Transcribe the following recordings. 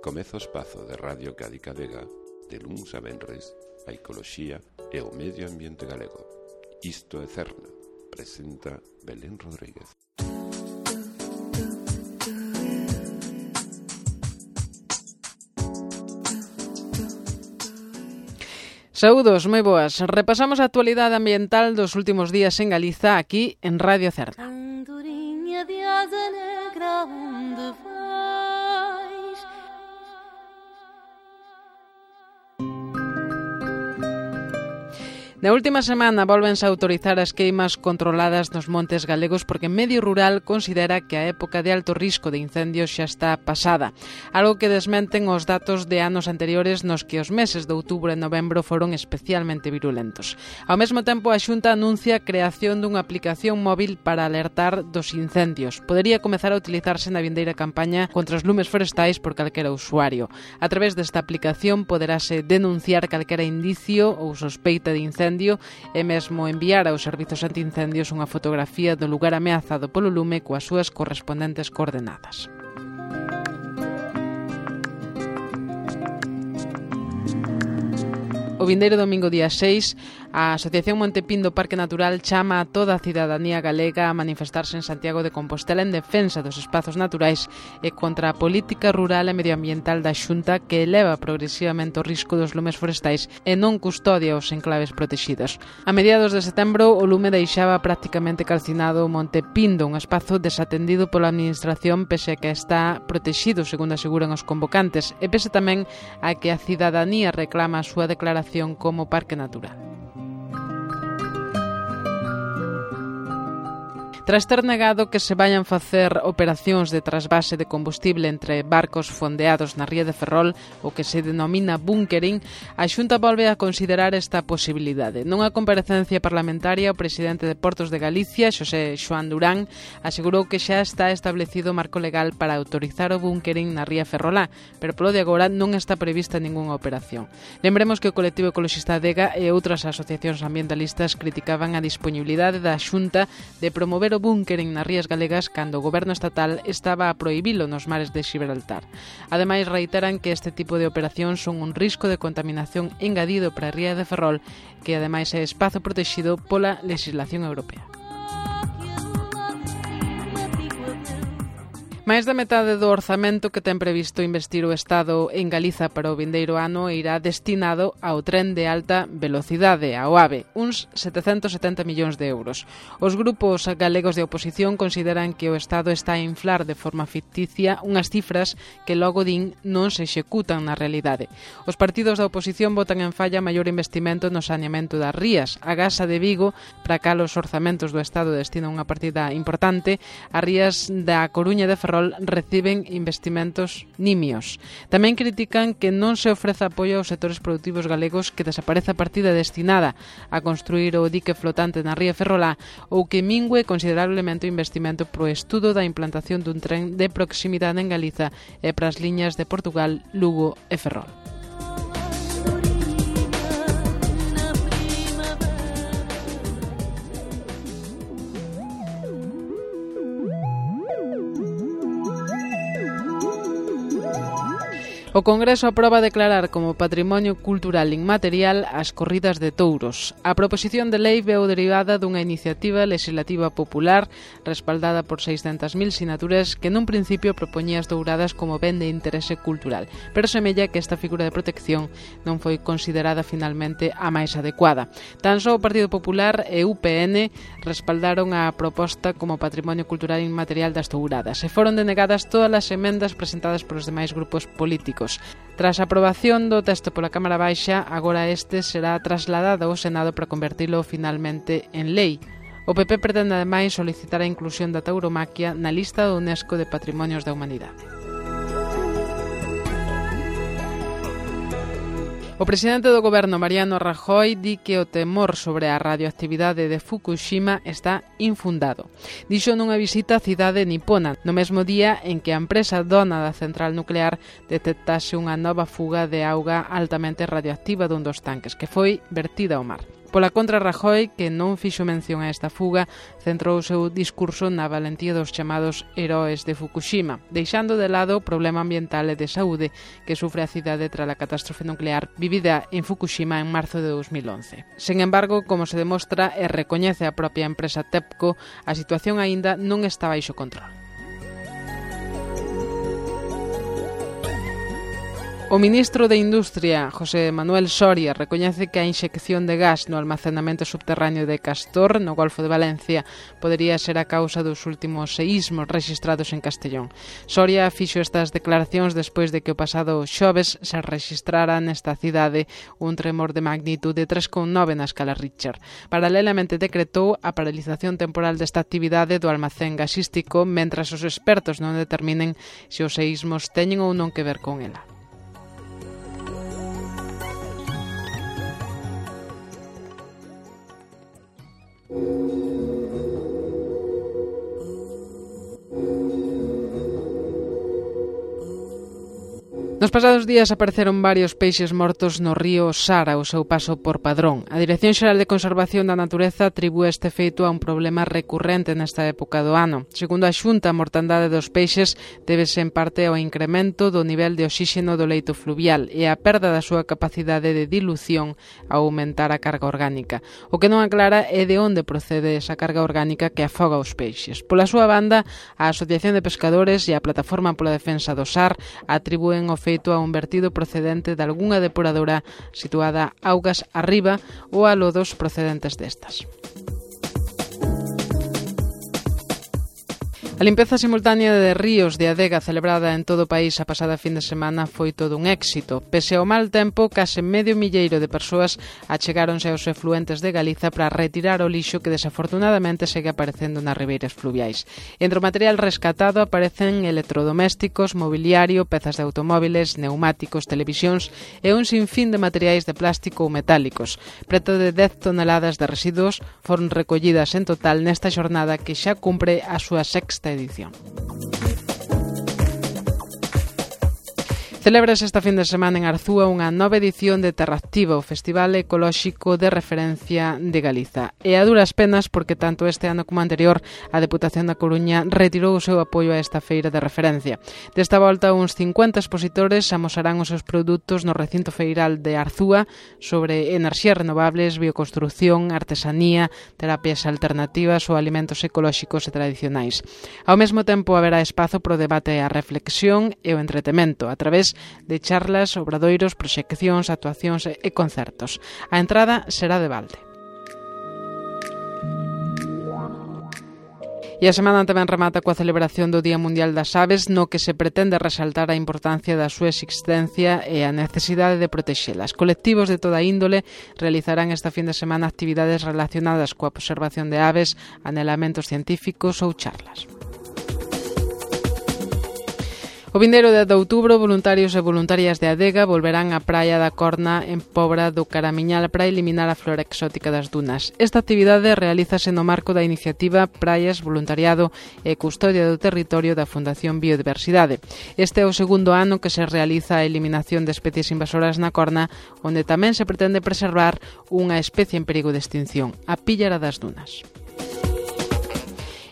Comeza o espazo de Radio Cádica Vega, de luns a venres, a ecoloxía e o medio ambiente galego. Isto é Cerna, presenta Belén Rodríguez. Saúdos, moi boas. Repasamos a actualidade ambiental dos últimos días en Galiza, aquí en Radio Cerna. Andorinha de asa negra, onde vais? Na última semana volvense a autorizar as queimas controladas nos montes galegos porque Medio Rural considera que a época de alto risco de incendios xa está pasada, algo que desmenten os datos de anos anteriores nos que os meses de outubro e novembro foron especialmente virulentos. Ao mesmo tempo, a Xunta anuncia a creación dunha aplicación móvil para alertar dos incendios. Podería comezar a utilizarse na vindeira campaña contra os lumes forestais por calquera usuario. A través desta aplicación poderase denunciar calquera indicio ou sospeita de incendio e mesmo enviar aos servizos antiincendios unha fotografía do lugar ameazado polo lume coas súas correspondentes coordenadas. O vindeiro domingo día 6, a Asociación Montepindo Parque Natural chama a toda a cidadanía galega a manifestarse en Santiago de Compostela en defensa dos espazos naturais e contra a política rural e medioambiental da Xunta que eleva progresivamente o risco dos lumes forestais e non custodia os enclaves protexidos. A mediados de setembro, o lume deixaba prácticamente calcinado o Monte Pindo, un espazo desatendido pola administración pese a que está protexido, segundo aseguran os convocantes, e pese tamén a que a cidadanía reclama a súa declaración como parque natural. Tras ter negado que se vayan facer operacións de trasvase de combustible entre barcos fondeados na ría de Ferrol, o que se denomina bunkering, a Xunta volve a considerar esta posibilidade. Nunha comparecencia parlamentaria, o presidente de Portos de Galicia, Xosé Xoán Durán, asegurou que xa está establecido o marco legal para autorizar o bunkering na ría Ferrolá, pero polo de agora non está prevista ningunha operación. Lembremos que o colectivo ecologista Adega e outras asociacións ambientalistas criticaban a disponibilidade da Xunta de promover o bunkering nas rías galegas cando o goberno estatal estaba a prohibilo nos mares de Xibraltar. Ademais, reiteran que este tipo de operacións son un risco de contaminación engadido para a ría de Ferrol, que ademais é espazo protexido pola legislación europea. Máis da metade do orzamento que ten previsto investir o Estado en Galiza para o vindeiro ano irá destinado ao tren de alta velocidade, ao AVE, uns 770 millóns de euros. Os grupos galegos de oposición consideran que o Estado está a inflar de forma ficticia unhas cifras que logo din non se executan na realidade. Os partidos da oposición votan en falla maior investimento no saneamento das rías. A Gasa de Vigo, para cal os orzamentos do Estado destinan unha partida importante, as rías da Coruña de Ferrol reciben investimentos nimios. Tamén critican que non se ofreza apoio aos sectores produtivos galegos, que desaparece a partida destinada a construir o dique flotante na ría Ferrolá ou que mingue considerablemente o investimento pro estudo da implantación dun tren de proximidade en Galiza e para as liñas de Portugal, Lugo e Ferrol. O Congreso aproba declarar como Patrimonio Cultural Inmaterial as corridas de touros. A proposición de lei veu derivada dunha iniciativa legislativa popular respaldada por 600.000 sinaturas que nun principio propoñía as touradas como ben de interese cultural, pero semella que esta figura de protección non foi considerada finalmente a máis adecuada. Tan só o Partido Popular e UPN respaldaron a proposta como Patrimonio Cultural Inmaterial das touradas e foron denegadas todas as emendas presentadas polos demais grupos políticos. Tras a aprobación do texto pola Cámara Baixa, agora este será trasladado ao Senado para convertilo finalmente en lei. O PP pretende ademais solicitar a inclusión da tauromaquia na lista do UNESCO de Patrimonios da Humanidade. O presidente do goberno, Mariano Rajoy, di que o temor sobre a radioactividade de Fukushima está infundado. Dixo nunha visita á cidade nipona, no mesmo día en que a empresa dona da central nuclear detectase unha nova fuga de auga altamente radioactiva dun dos tanques, que foi vertida ao mar. Pola contra, Rajoy, que non fixo mención a esta fuga, centrou o seu discurso na valentía dos chamados heróis de Fukushima, deixando de lado o problema ambiental e de saúde que sufre a cidade tras a catástrofe nuclear vivida en Fukushima en marzo de 2011. Sen embargo, como se demostra e recoñece a propia empresa TEPCO, a situación aínda non está baixo control. O ministro de Industria, José Manuel Soria, recoñece que a inxección de gas no almacenamento subterráneo de Castor, no Golfo de Valencia, podería ser a causa dos últimos seísmos rexistrados en Castellón. Soria fixo estas declaracións despois de que o pasado xoves se rexistrara nesta cidade un tremor de magnitude 3,9 na escala Richter. Paralelamente decretou a paralización temporal desta actividade do almacén gasístico mentras os expertos non determinen se os seísmos teñen ou non que ver con ela. Nos pasados días apareceron varios peixes mortos no río Sara ao seu paso por Padrón. A Dirección Xeral de Conservación da Natureza atribúe este feito a un problema recurrente nesta época do ano. Segundo a Xunta, a mortandade dos peixes débese en parte ao incremento do nivel de oxíxeno do leito fluvial e a perda da súa capacidade de dilución ao aumentar a carga orgánica. O que non aclara é de onde procede esa carga orgánica que afoga os peixes. Pola súa banda, a Asociación de Pescadores e a Plataforma pola Defensa do Sar atribúen o feito a un vertido procedente de algunha depuradora situada augas arriba ou a lodos procedentes destas. A limpeza simultánea de ríos de adega celebrada en todo o país a pasada fin de semana foi todo un éxito. Pese ao mal tempo, case medio milleiro de persoas achegáronse aos efluentes de Galiza para retirar o lixo que desafortunadamente segue aparecendo nas ribeiras fluviais. Entre o material rescatado aparecen electrodomésticos, mobiliario, pezas de automóviles, neumáticos, televisións e un sinfín de materiais de plástico ou metálicos. Preto de 10 toneladas de residuos foron recollidas en total nesta xornada que xa cumpre a súa sexta edición. Celébrase esta fin de semana en Arzúa unha nova edición de Terraactiva, o festival ecolóxico de referencia de Galiza. E a duras penas porque tanto este ano como anterior a Deputación da Coruña retirou o seu apoio a esta feira de referencia. Desta volta, uns 50 expositores amosarán os seus produtos no recinto feiral de Arzúa sobre enerxías renovables, bioconstrucción, artesanía, terapias alternativas ou alimentos ecolóxicos e tradicionais. Ao mesmo tempo haberá espazo para o debate e a reflexión e o entretemento a través de charlas, obradoiros, proxeccións, actuacións e concertos. A entrada será de balde. E a semana tamén remata coa celebración do Día Mundial das Aves, no que se pretende resaltar a importancia da súa existencia e a necesidade de protexelas. Colectivos de toda índole realizarán esta fin de semana actividades relacionadas coa observación de aves, anelamentos científicos ou charlas. O vindeiro 10 de outubro, voluntarios e voluntarias de Adega volverán á praia da Corna en Pobra do Caramiñal para eliminar a flora exótica das dunas. Esta actividade realízase no marco da iniciativa Praias, Voluntariado e Custodia do Territorio da Fundación Biodiversidade. Este é o segundo ano que se realiza a eliminación de especies invasoras na Corna, onde tamén se pretende preservar unha especie en perigo de extinción, a píllara das dunas.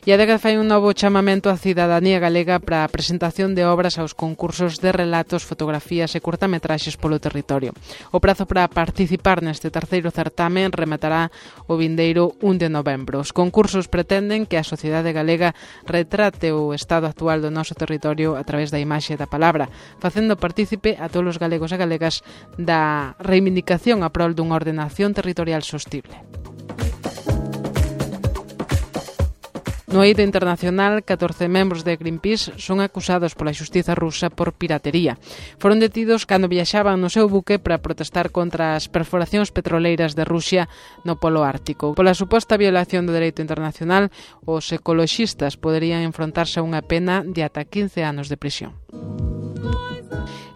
E a Adega fai un novo chamamento á cidadanía galega para a presentación de obras aos concursos de relatos, fotografías e curtametraxes polo territorio. O prazo para participar neste terceiro certame rematará o vindeiro 1 de novembro. Os concursos pretenden que a sociedade galega retrate o estado actual do noso territorio a través da imaxe e da palabra, facendo partícipe a todos os galegos e galegas da reivindicación a prol dunha ordenación territorial sostible. No eido internacional, 14 membros de Greenpeace son acusados pola xustiza rusa por piratería. Foron detidos cando viaxaban no seu buque para protestar contra as perforacións petroleiras de Rusia no Polo Ártico. Pola suposta violación do dereito internacional, os ecoloxistas poderían enfrontarse a unha pena de ata 15 anos de prisión.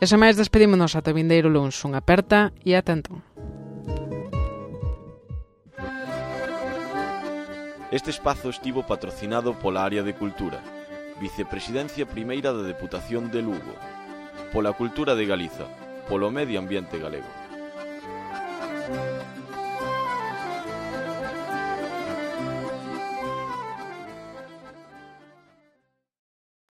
E sen máis, despedímonos ata o vindeiro luns. Unha aperta e ata entón. Este espazo estivo patrocinado pola Área de Cultura, Vicepresidencia Primeira da Deputación de Lugo, pola Cultura de Galiza, polo Medio Ambiente Galego.